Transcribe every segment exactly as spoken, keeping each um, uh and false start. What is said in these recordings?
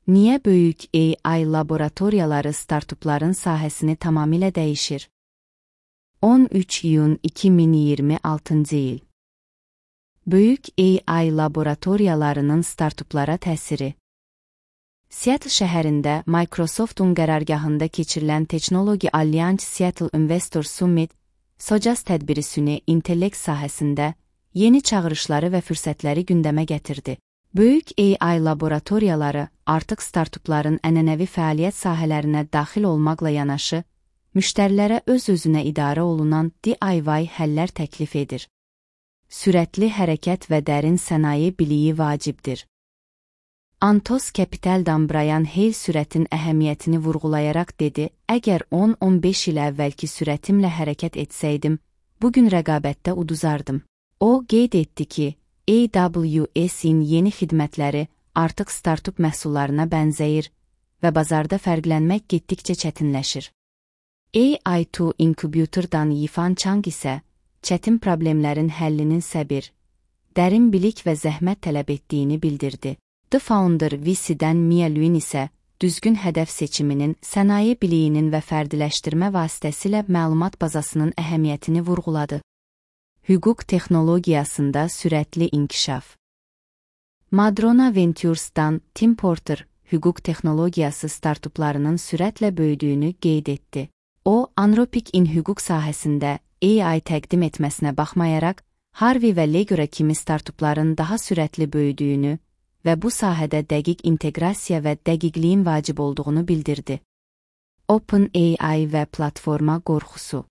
Niyə böyük A I laboratoriyaları startupların sahəsini tamamilə dəyişir? on üç iyun iki min iyirmi altıncı il. Böyük A I laboratoriyalarının startuplara təsiri. Seattle şəhərində Microsoft'un qərargahında keçirilən Technology Alliance Seattle Investor Summit, SOCAS tədbiri süni intellekt sahəsində yeni çağırışları və fürsətləri gündəmə gətirdi. Böyük A I laboratoriyaları artıq startupların ənənəvi fəaliyyət sahələrinə daxil olmaqla yanaşı, müştərilərə öz-özünə idarə olunan D I Y həllər təklif edir. Sürətli hərəkət və dərin sənaye biliyi vacibdir. Antos Capital'dan Brian Hale sürətin əhəmiyyətini vurğulayaraq dedi, əgər on on beş il əvvəlki sürətimlə hərəkət etsəydim, bugün rəqabətdə uduzardım. O, qeyd etdi ki, A W S-in yeni xidmətləri artıq startup məhsullarına bənzəyir və bazarda fərqlənmək getdikcə çətinləşir. A I iki Incubator-dan Yifan Chang isə çətin problemlərin həllinin səbir, dərin bilik və zəhmət tələb etdiyini bildirdi. The Founder V C-dən Mia Lewin isə düzgün hədəf seçiminin, sənaye biliyinin və fərdiləşdirmə vasitəsilə məlumat bazasının əhəmiyyətini vurğuladı. Hüquq texnologiyasında sürətli inkişaf. Madrona Ventures-dan Tim Porter, hüquq texnologiyası startuplarının sürətlə böyüdüyünü qeyd etdi. O, Anthropic in hüquq sahəsində A I təqdim etməsinə baxmayaraq, Harvey və Legora kimi startupların daha sürətli böyüdüyünü və bu sahədə dəqiq inteqrasiya və dəqiqliyin vacib olduğunu bildirdi. OpenAI və platforma qorxusu.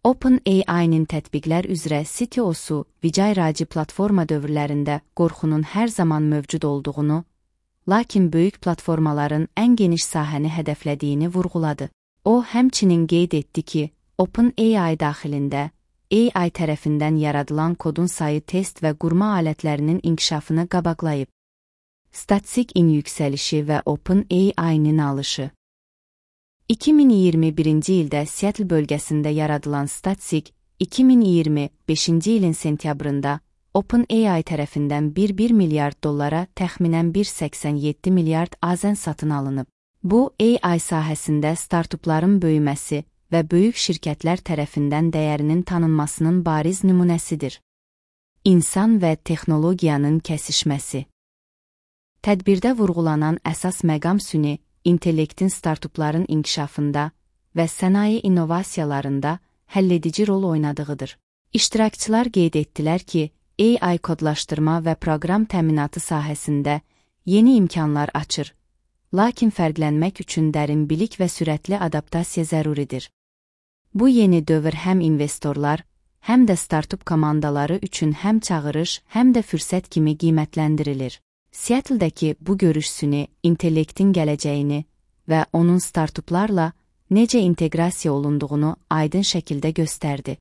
OpenAI-nin tətbiqlər üzrə C T O-su Vijay Raji platforma dövrlərində qorxunun hər zaman mövcud olduğunu, lakin böyük platformaların ən geniş sahəni hədəflədiyini vurğuladı. O, həmçinin qeyd etdi ki, OpenAI daxilində A I tərəfindən yaradılan kodun sayı test və qurma alətlərinin inkişafını qabaqlayıb. Statsig-in yüksəlişi və OpenAI-nin alışı. iki min iyirmi birinci ildə Seattle bölgəsində yaradılan Statsig, iki min iyirmi beşinci ilin sentyabrında OpenAI tərəfindən bir bir milyard dollara təxminən bir səksən yeddi milyard azən satın alınıb. Bu, A I sahəsində startupların böyüməsi və böyük şirkətlər tərəfindən dəyərinin tanınmasının bariz nümunəsidir. İnsan və texnologiyanın kəsişməsi. Tədbirdə vurğulanan əsas məqam süni, intellektin startupların inkişafında və sənaye innovasiyalarında həlledici rol oynadığıdır. İştirakçılar qeyd etdilər ki, A I kodlaşdırma və proqram təminatı sahəsində yeni imkanlar açır, lakin fərqlənmək üçün dərin bilik və sürətli adaptasiya zəruridir. Bu yeni dövr həm investorlar, həm də startup komandaları üçün həm çağırış, həm də fürsət kimi qiymətləndirilir. Seattle-dəki bu görüş süni intellektin gələcəyini və onun startuplarla necə inteqrasiya olunduğunu aydın şəkildə göstərdi.